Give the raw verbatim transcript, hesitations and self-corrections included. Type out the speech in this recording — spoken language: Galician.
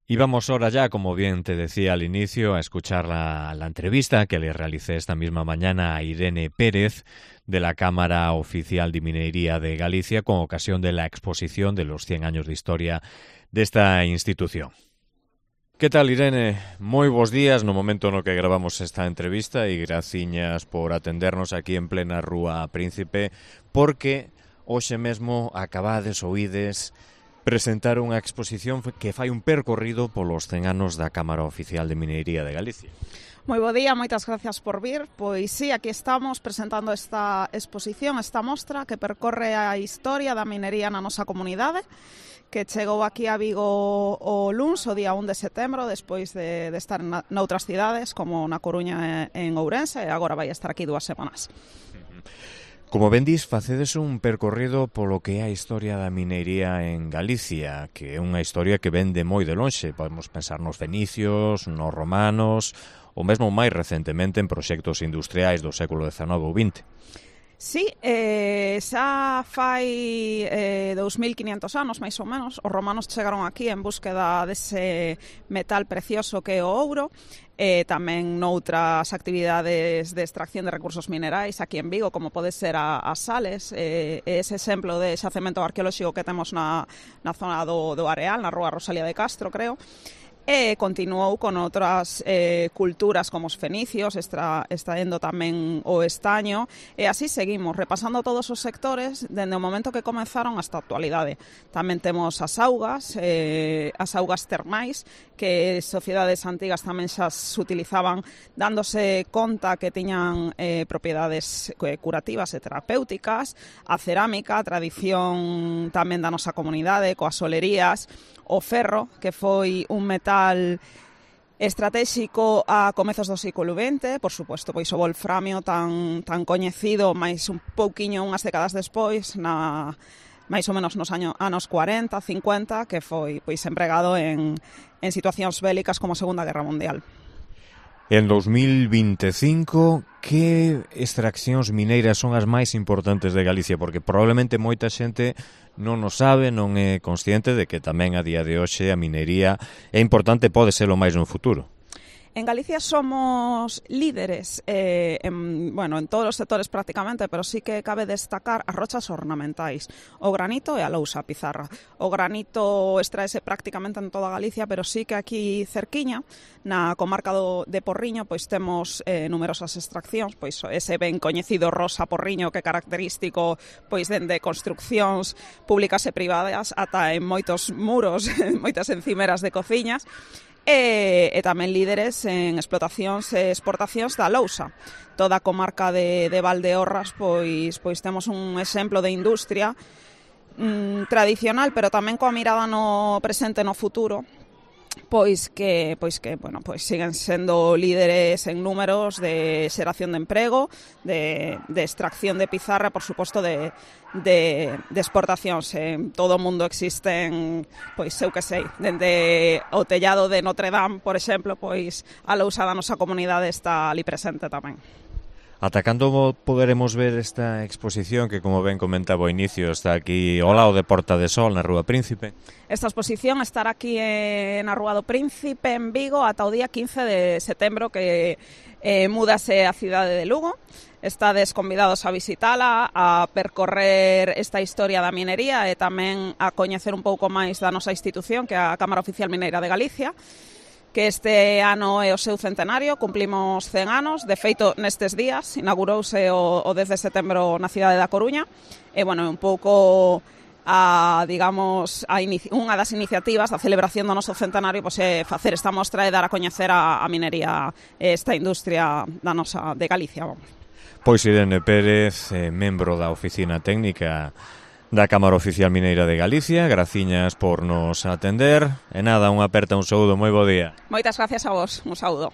Y vamos ahora ya, como bien te decía al inicio, a escuchar la, la entrevista que le realicé esta misma mañana a Irene Pérez de la Cámara Oficial de Minería de Galicia con ocasión de la exposición de los cien años de historia de esta institución. Que tal, Irene? Moi bons días no momento no que gravamos esta entrevista e graciñas por atendernos aquí en plena Rúa Príncipe, porque hoxe mesmo acabades oídes presentar unha exposición que fai un percorrido polos cen anos da Cámara Oficial de Minería de Galicia. Moi bo día, moitas gracias por vir. Pois sí, aquí estamos presentando esta exposición, esta mostra que percorre a historia da minería na nosa comunidade, que chegou aquí a Vigo o luns, o día un de setembro, despois de, de estar na, noutras cidades, como na Coruña e en Ourense, e agora vai estar aquí dúas semanas. Como ben dis, facedes un percorrido polo que é a historia da minería en Galicia, que é unha historia que ven de moi de lonxe. Podemos pensar nos fenicios, nos romanos, ou mesmo máis recentemente en proxectos industriais do século dezanove ou vinte. Sí, eh, xa fai eh, dous mil quinhentos anos, máis ou menos, os romanos chegaron aquí en búsqueda dese metal precioso que é o ouro, e tamén noutras actividades de extracción de recursos minerais aquí en Vigo, como pode ser a, a Sales, eh, ese exemplo de xacemento arqueolóxico que temos na, na zona do, do Areal, na rúa Rosalía de Castro, creo. E continuou con outras eh, culturas como os fenicios, extra, extraendo tamén o estaño, e así seguimos, repasando todos os sectores dende o momento que comenzaron hasta a actualidade. Tamén temos as augas, eh, as augas termais, que sociedades antigas tamén xa se utilizaban dándose conta que tiñan eh, propiedades curativas e terapéuticas, a cerámica, a tradición tamén da nosa comunidade, coas solerías, o ferro, que foi un metal estratégico a comezos do século vinte, por suposto, pois o wolframio tan, tan coñecido, máis un pouquiño unhas décadas despois, na máis ou menos nos años, anos cuarenta, cincuenta, que foi pois empregado en, en situacións bélicas como a Segunda Guerra Mundial. En dos mil vinte e cinco, que extraccións mineiras son as máis importantes de Galicia? Porque probablemente moita xente non o sabe, non é consciente de que tamén a día de hoxe a minería é importante, pode ser o máis no futuro. En Galicia somos líderes eh, en, bueno, en todos os sectores prácticamente, pero sí que cabe destacar as rochas ornamentais, o granito e a lousa, a pizarra. O granito extraese prácticamente en toda Galicia, pero sí que aquí cerquiña, na comarca do, de Porriño, pois temos eh, numerosas extraccións, pois ese ben coñecido rosa Porriño que é característico pois dende construccións públicas e privadas ata en moitos muros, moitas encimeras de cociñas. E, e tamén líderes en explotacións e exportacións da lousa. Toda a comarca de, de Valdeorras pois, pois temos un exemplo de industria mm, tradicional, pero tamén coa mirada no presente e no futuro, pois que pois que, bueno, pois siguen sendo líderes en números de xeración de emprego, de, de extracción de pizarra, por suposto de, de, de exportacións. En todo o mundo existen, pois eu que sei, dende o tellado de Notre Dame, por exemplo, pois a lousa da nosa comunidade está ali presente tamén. Ata cando poderemos ver esta exposición que, como ben comentaba ao inicio, está aquí ao lado de Porta de Sol, na Rúa Príncipe? Esta exposición estará aquí eh, na Rúa do Príncipe, en Vigo, ata o día quince de setembro, que eh, mudase a cidade de Lugo. Estades convidados a visitala, a percorrer esta historia da minería e tamén a coñecer un pouco máis da nosa institución, que é a Cámara Oficial Mineira de Galicia, que este ano é o seu centenario, cumplimos cen anos, de feito nestes días, inaugurouse o, o dez de setembro na cidade da Coruña, e, bueno, un pouco a, digamos, a inici- unha das iniciativas da celebración do noso centenario pois, é facer esta mostra e dar a coñecer a, a minería, esta industria da nosa, de Galicia, vamos. Pois Irene Pérez, eh, membro da Oficina Técnica da Cámara Oficial Mineira de Galicia, graciñas por nos atender. E nada, unha aperta, un saúdo, moi bo día. Moitas gracias a vos, un saúdo.